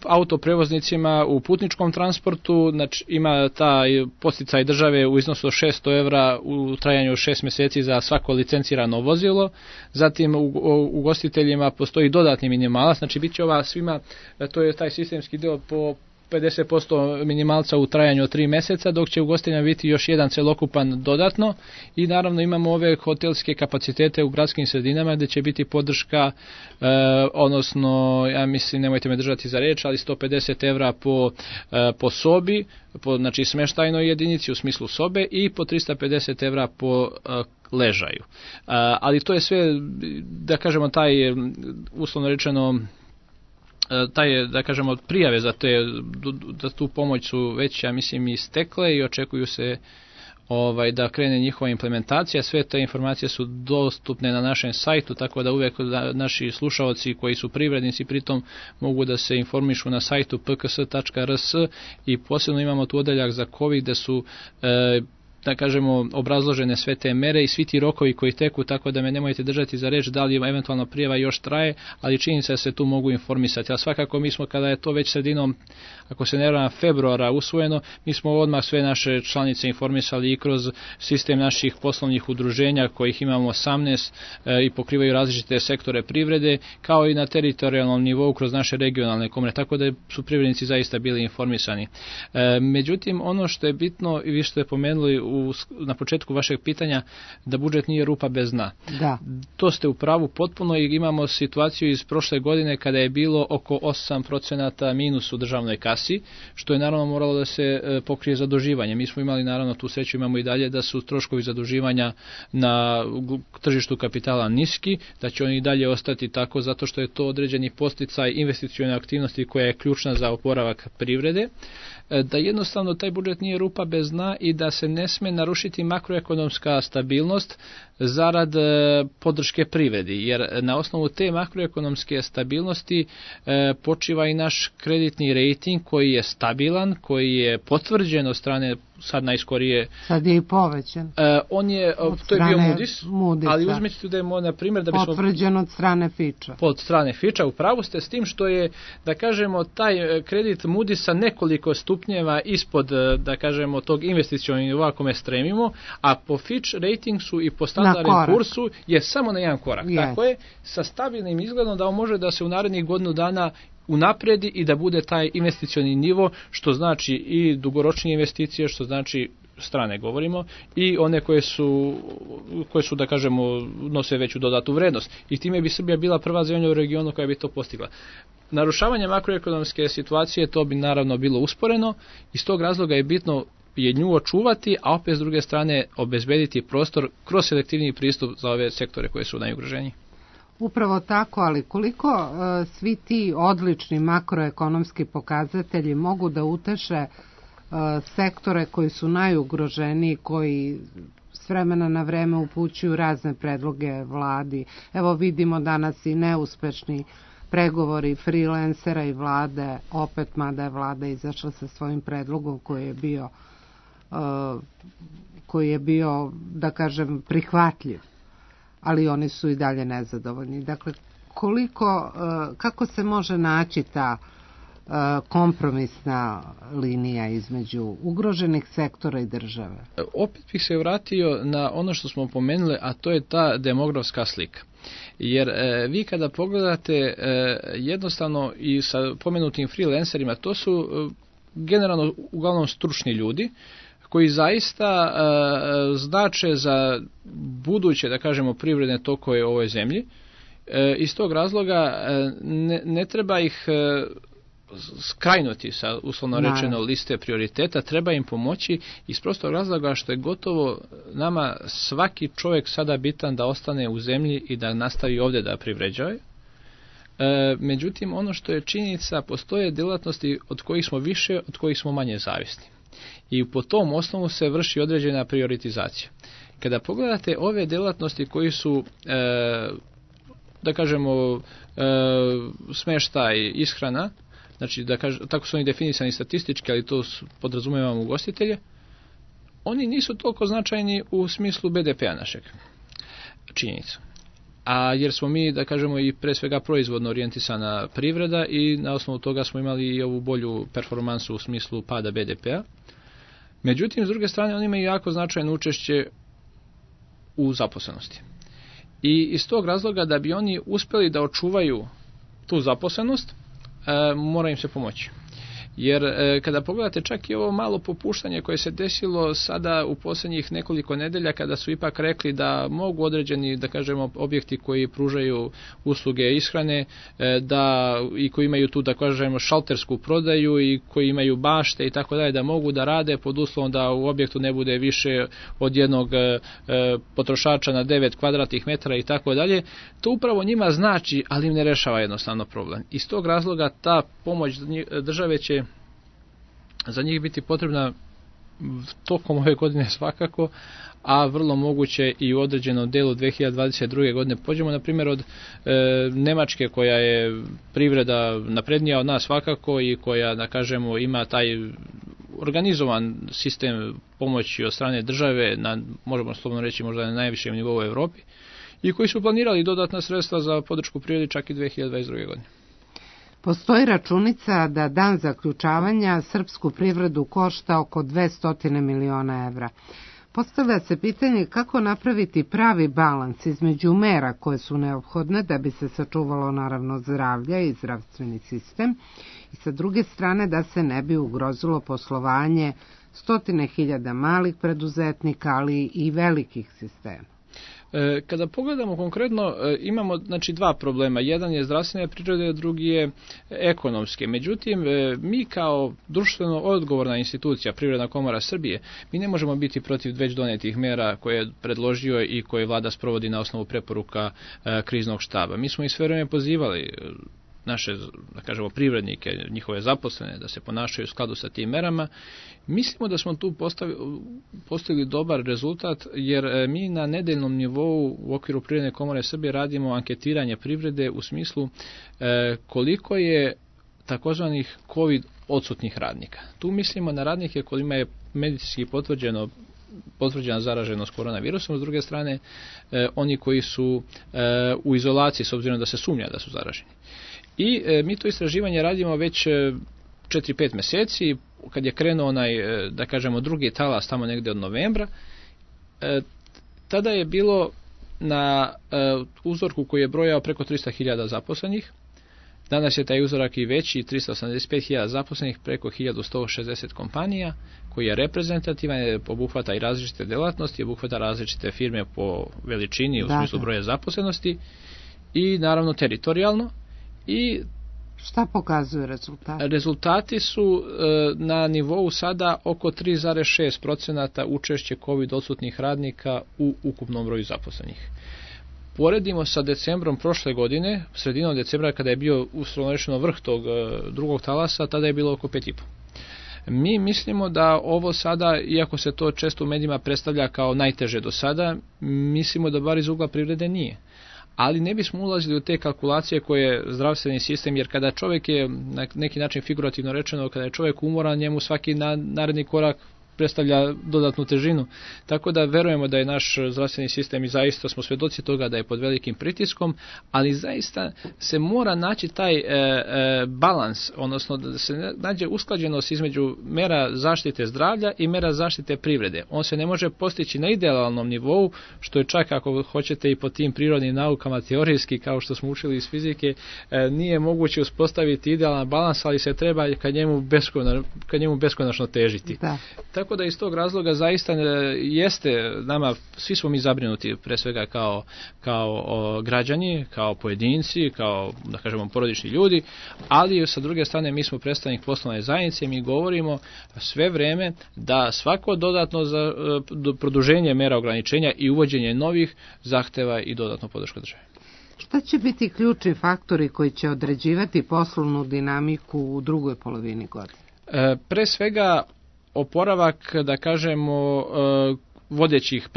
autoprevoznicima u putničkom transportu, znači ima taj podsticaj države u iznosu od 600 evra u trajanju 6 mjeseci za svako licencirano vozilo, zatim u ugostiteljima postoji dodatni minimalac, znači bit će ova svima, to je taj sistemski deo po 50% minimalca u trajanju od 3 mjeseca, dok će ugostiteljima biti još jedan celokupan dodatno i naravno imamo ove hotelske kapacitete u gradskim sredinama gdje će biti podrška, odnosno, ja mislim, nemojte me držati za reč, ali 150 evra po sobi, znači smještajnoj jedinici u smislu sobe i po 350 evra po ležaju. Ali to je sve, da kažemo, taj uslovno rečeno da kažemo prijave za tu pomoć su već, ja mislim, istekle i očekuju se da krene njihova implementacija. Sve te informacije su dostupne na našem sajtu, tako da uvijek naši slušaoci koji su privrednici pritom mogu da se informišu na sajtu pks.rs i posebno imamo tu odeljak za COVID gdje su da kažemo, obrazložene sve te mere i svi ti rokovi koji teku, tako da me nemojte držati za reč da li eventualno prijava još traje, ali činjenica da se tu mogu informisati. A svakako mi smo, kada je to već sredinom, ako se ne varam, februara usvojeno, mi smo odmah sve naše članice informisali i kroz sistem naših poslovnih udruženja, kojih imamo 18 i pokrivaju različite sektore privrede, kao i na teritorijalnom nivou kroz naše regionalne komore, tako da su privrednici zaista bili informisani. Međutim, ono što je bitno, i vi što je pomenuli na početku vašeg pitanja, da budžet nije rupa bez dna. Da. To ste u pravu potpuno i imamo situaciju iz prošle godine kada je bilo oko 8% minus u državnoj kasi, što je naravno moralo da se pokrije zaduživanje. Mi smo imali naravno tu sreću, imamo i dalje da su troškovi zaduživanja na tržištu kapitala niski, da će oni i dalje ostati tako zato što je to određeni podsticaj investicione aktivnosti koja je ključna za oporavak privrede, da jednostavno taj budžet nije rupa bez dna i da se ne sme narušiti makroekonomska stabilnost zarad podrške privredi, jer na osnovu te makroekonomske stabilnosti počiva i naš kreditni rejting koji je stabilan, koji je potvrđen od strane sad najskorije. Sad je i povećan. On je, to je bio Moody's, ali uzmite da je, na primjer, da bismo... Potvrđen od strane Fitcha. Od strane Fitcha, upravo ste s tim što je, da kažemo, taj kredit Moody'sa nekoliko stupnjeva ispod, da kažemo, tog investicionog nivoa kome stremimo, a po Fitch ratingsu i po standardnom kursu je samo na jedan korak. Yes. Tako je, sa stabilnim izgledom da on može da se u narednih godinu dana unapredi i da bude taj investicioni nivo, što znači i dugoročnije investicije, što znači strane govorimo, i one koje su, da kažemo, nose veću dodatu vrednost. I time bi Srbija bila prva zemlja u regionu koja bi to postigla. Narušavanje makroekonomske situacije, to bi naravno bilo usporeno, iz tog razloga je bitno je nju očuvati, a opet s druge strane obezbediti prostor kroz selektivni pristup za ove sektore koje su najugroženiji. Upravo tako, ali koliko svi ti odlični makroekonomski pokazatelji mogu da uteše sektore koji su najugroženiji, koji s vremena na vreme upućuju razne predloge vladi. Evo vidimo danas i neuspešni pregovori freelancera i vlade, opet mada je vlada izašla sa svojim predlogom koji je bio, da kažem, prihvatljiv, ali oni su i dalje nezadovoljni. Dakle, kako se može naći ta kompromisna linija između ugroženih sektora i države? Opet bih se vratio na ono što smo pomenuli, a to je ta demografska slika. Jer vi kada pogledate jednostavno i sa pomenutim freelancerima, to su generalno uglavnom stručni ljudi koji zaista znače za buduće, da kažemo, privredne tokove u ovoj zemlji. Iz tog razloga ne treba ih skrajnuti sa, uslovno rečeno, liste prioriteta, treba im pomoći iz prostog razloga što je gotovo nama svaki čovjek sada bitan da ostane u zemlji i da nastavi ovdje da privređuje. Međutim, ono što je činjenica, postoje djelatnosti od kojih smo više, od kojih smo manje zavisni. I po tom osnovu se vrši određena prioritizacija. Kada pogledate ove djelatnosti koji su, da kažemo, smještaj, ishrana, znači tako su oni definisani statistički, ali to podrazumijevamo ugostitelje, oni nisu toliko značajni u smislu BDP-a našeg, činjenica. A jer smo mi, da kažemo, i pre svega proizvodno orijentisana privreda i na osnovu toga smo imali i ovu bolju performansu u smislu pada BDP-a. Međutim, s druge strane, oni imaju jako značajno učešće u zaposlenosti. I iz tog razloga, da bi oni uspjeli da očuvaju tu zaposlenost, mora im se pomoći. Jer kada pogledate čak i ovo malo popuštanje koje se desilo sada u posljednjih nekoliko nedelja, kada su ipak rekli da mogu određeni, da kažemo, objekti koji pružaju usluge ishrane, da i koji imaju tu, da kažemo, šaltersku prodaju i koji imaju bašte i tako dalje, da mogu da rade pod uslovom da u objektu ne bude više od jednog potrošača na 9 kvadratnih metara i tako dalje, to upravo njima znači, ali im ne rešava jednostavno problem. Iz tog razloga ta pomoć države će za njih biti potrebna tokom ove godine svakako, a vrlo moguće i u određenom delu 2022. godine. Pođemo na primjer od Nemačke, koja je privreda naprednija od nas svakako i koja, da kažemo, ima taj organizovan sistem pomoći od strane države, možemo slobodno reći možda na najvišem nivou u Evropi, i koji su planirali dodatna sredstva za podršku privredi čak i 2022. godine. Postoji računica da dan zaključavanja srpsku privredu košta oko 200 miliona evra. Postavlja se pitanje kako napraviti pravi balans između mera koje su neophodne da bi se sačuvalo naravno zdravlje i zdravstveni sistem i sa druge strane da se ne bi ugrozilo poslovanje 100.000 malih preduzetnika, ali i velikih sistema. Kada pogledamo konkretno, imamo dva problema. Jedan je zdravstvene prirode, drugi je ekonomske. Međutim, mi kao društveno odgovorna institucija, Privredna komora Srbije, mi ne možemo biti protiv već donetih mera koje je predložio i koje vlada sprovodi na osnovu preporuka kriznog štaba. Mi smo i sve vreme pozivali naše, da kažemo, privrednike, njihove zaposlene, da se ponašaju u skladu sa tim merama. Mislimo da smo tu postigli dobar rezultat, jer mi na nedeljnom nivou u okviru Privredne komore Srbije radimo anketiranje privrede u smislu koliko je takozvanih COVID odsutnih radnika. Tu mislimo na radnike kojima je medicinski potvrđena zaraženost koronavirusom, s druge strane oni koji su u izolaciji s obzirom da se sumnja da su zaraženi. I mi to istraživanje radimo već 4-5 meseci, kad je krenuo da kažemo, drugi talas tamo negde od novembra. Tada je bilo na uzorku koji je brojao preko 300.000 zaposlenih. Danas je taj uzorak i veći, 385.000 zaposlenih, preko 1160 kompanija, koji je reprezentativan, obuhvata i različite delatnosti, obuhvata različite firme po veličini u smislu broja zaposlenosti i naravno teritorijalno. I šta pokazuju rezultati? Rezultati su na nivou sada oko 3,6% učešće COVID odsutnih radnika u ukupnom broju zaposlenih. Poredimo sa decembrom prošle godine, sredinom decembra kada je bio uslovno rečeno vrh tog drugog talasa, tada je bilo oko 5,5%. Mi mislimo da ovo sada, iako se to često u medijima predstavlja kao najteže do sada, mislimo da bar iz ugla privrede nije. Ali ne bismo ulazili u te kalkulacije koje je zdravstveni sistem, jer kada čovjek je, na neki način figurativno rečeno, kada je čovjek umoran, njemu svaki naredni korak predstavlja dodatnu težinu. Tako da verujemo da je naš zdravstveni sistem, i zaista smo svedoci toga da je pod velikim pritiskom, ali zaista se mora naći taj balans, odnosno da se nađe usklađenost između mera zaštite zdravlja i mera zaštite privrede. On se ne može postići na idealnom nivou, što je čak, ako hoćete, i po tim prirodnim naukama teorijski, kao što smo učili iz fizike, nije moguće uspostaviti idealan balans, ali se treba ka njemu beskonačno težiti. Da. Tako da iz tog razloga zaista jeste nama, svi smo mi zabrinuti pre svega kao građani, kao pojedinci, kao, da kažemo, porodični ljudi, ali sa druge strane mi smo predstavnik poslovne zajednice, mi govorimo sve vreme da svako dodatno produženje mera ograničenja i uvođenje novih zahteva i dodatnu podršku države. Šta će biti ključni faktori koji će određivati poslovnu dinamiku u drugoj polovini godine? Pre svega oporavak, da kažemo, vodećih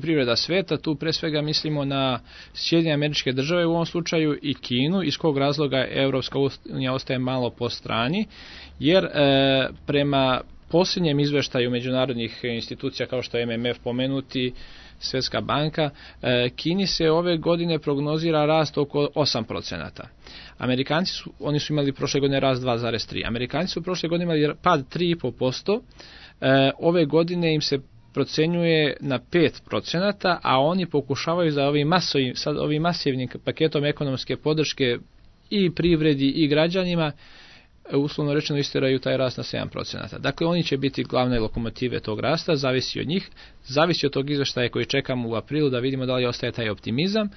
privreda sveta. Tu pre svega mislimo na Sjedinjene Američke Države u ovom slučaju i Kinu, iz kog razloga Evropska unija ostaje malo po strani, jer prema posljednjem izveštaju međunarodnih institucija kao što je MMF pomenuti, Svjetska banka, Kini se ove godine prognozira rast oko 8%. Amerikanci oni su imali prošle godine rast 2,3%. Amerikanci su prošle godine imali pad 3,5%. Ove godine im se procenjuje na 5%, a oni pokušavaju za ovim masivnim paketom ekonomske podrške i privredi i građanima, uslovno rečeno, isteraju taj rast na 7%. Dakle, oni će biti glavne lokomotive tog rasta, zavisi od njih, zavisi od tog izveštaja koji čekamo u aprilu da vidimo da li ostaje taj optimizam.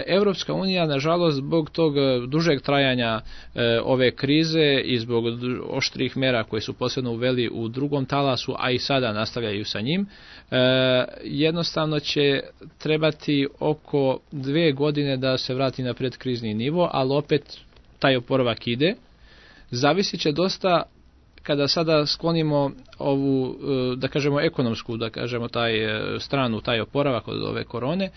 Evropska unija, nažalost, zbog tog dužeg trajanja ove krize i zbog oštrih mera koje su posebno uveli u drugom talasu, a i sada nastavljaju sa njim, jednostavno će trebati oko 2 godine da se vrati na predkrizni nivo, ali opet taj oporavak ide. Zavisit će dosta, kada sada sklonimo ovu, da kažemo, ekonomsku, da kažemo, stranu, taj oporavak od ove korone,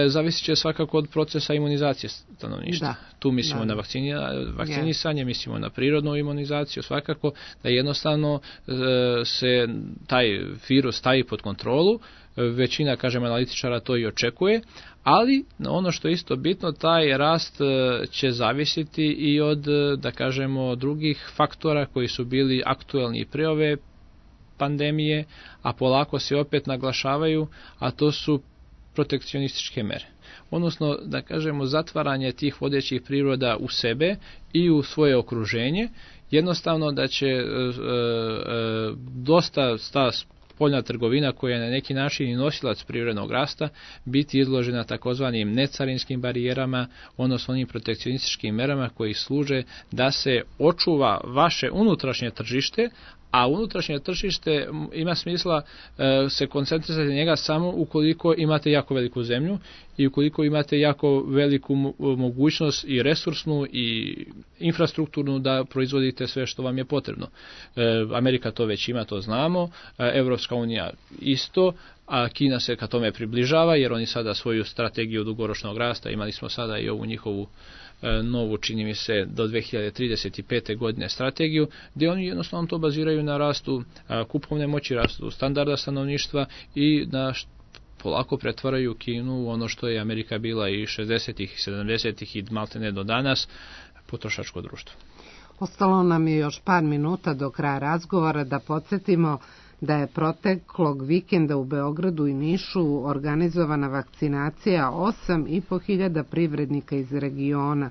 zavisit će svakako od procesa imunizacije stanovništva. Tu mislimo na vakcinisanje, mislimo na prirodnu imunizaciju, svakako da jednostavno se taj virus stavi pod kontrolu. Većina, kažem, analitičara to i očekuje, ali ono što je isto bitno, taj rast će zavisiti i od, da kažemo, drugih faktora koji su bili aktuelni i pre ove pandemije, a polako se opet naglašavaju, a to su protekcionističke mere. Odnosno, da kažemo, zatvaranje tih vodećih priroda u sebe i u svoje okruženje, jednostavno da će dosta spoljna trgovina koja je na neki način i nosilac privrednog rasta biti izložena takozvanim necarinskim barijerama, odnosno onim protekcionističkim merama koji služe da se očuva vaše unutrašnje tržište, a unutrašnje tržište ima smisla se koncentrirati na njega samo ukoliko imate jako veliku zemlju i ukoliko imate jako veliku mogućnost i resursnu i infrastrukturnu da proizvodite sve što vam je potrebno. Amerika to već ima, to znamo, Evropska unija isto, a Kina se ka tome približava jer oni sada svoju strategiju dugoročnog rasta, imali smo sada i ovu njihovu novu, čini mi se, do 2035. godine strategiju, gdje oni jednostavno to baziraju na rastu kupovne moći, rastu standarda stanovništva i na polako pretvaraju Kinu u ono što je Amerika bila i 60-ih, 70-ih i maltene do danas, potrošačko društvo. Ostalo nam je još par minuta do kraja razgovora da podsjetimo da je proteklog vikenda u Beogradu i Nišu organizovana vakcinacija 8.500 privrednika iz regiona,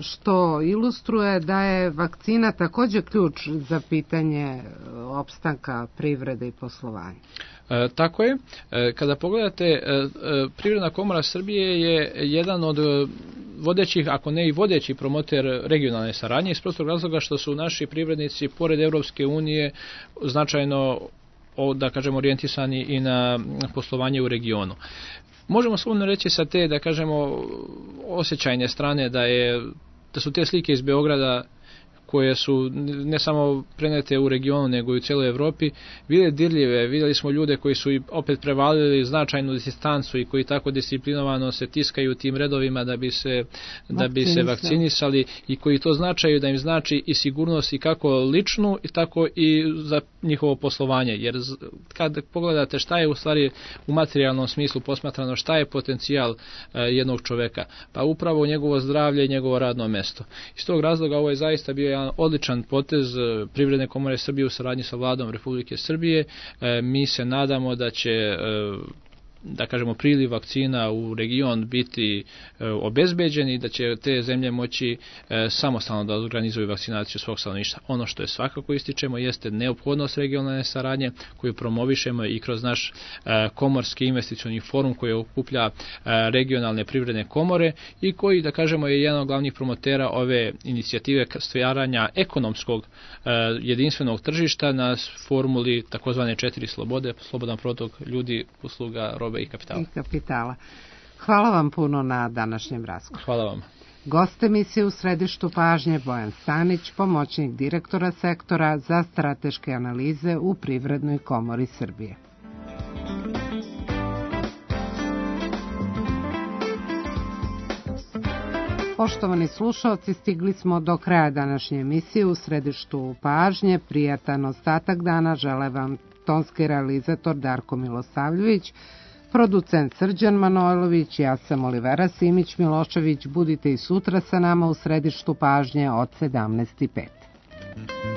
što ilustruje da je vakcina također ključ za pitanje opstanka privrede i poslovanja. Tako je. Kada pogledate, Privredna komora Srbije je jedan od vodećih, ako ne i vodeći promoter regionalne saradnje iz prostog razloga što su naši privrednici pored Evropske unije značajno, da kažemo, orijentisani i na poslovanje u regionu. Možemo slobodno reći sa te, da kažemo, osjećajne strane da su te slike iz Beograda koje su ne samo prenete u regionu nego i u cijeloj Evropi bile dirljive. Vidjeli smo ljude koji su opet prevalili značajnu distancu i koji tako disciplinovano se tiskaju tim redovima da bi se vakcinisali i koji to značaju da im znači i sigurnost i kako ličnu i tako i za njihovo poslovanje. Jer kad pogledate šta je u stvari u materijalnom smislu posmatrano, šta je potencijal jednog čoveka, pa upravo njegovo zdravlje i njegovo radno mesto. Iz tog razloga ovo je zaista bio jedan odličan potez Privredne komore Srbije u saradnji sa Vladom Republike Srbije. Mi se nadamo da će, da kažemo, priliv vakcina u region biti obezbeđen i da će te zemlje moći samostalno da organizuju vakcinaciju svog stanovništva. Ono što je svakako ističemo jeste neophodnost regionalne saradnje koju promovišemo i kroz naš komorski investicioni forum koji okuplja regionalne privredne komore i koji, da kažemo, je jedan od glavnih promotera ove inicijative stvaranja ekonomskog jedinstvenog tržišta na formuli takozvane 4 slobode, slobodan protok ljudi, usluga, robe i kapitala. Hvala vam puno na današnjem razgovoru. Hvala vam. Gost emisije u središtu pažnje Bojan Stanić, pomoćnik direktora sektora za strateške analize u Privrednoj komori Srbije. Poštovani slušalci, stigli smo do kraja današnje emisije u središtu pažnje. Prijatan ostatak dana žele vam tonski realizator Darko Milosavljević, producent Srđan Manojlović, ja sam Olivera Simić-Milošević. Budite i sutra sa nama u središtu pažnje od 17:05.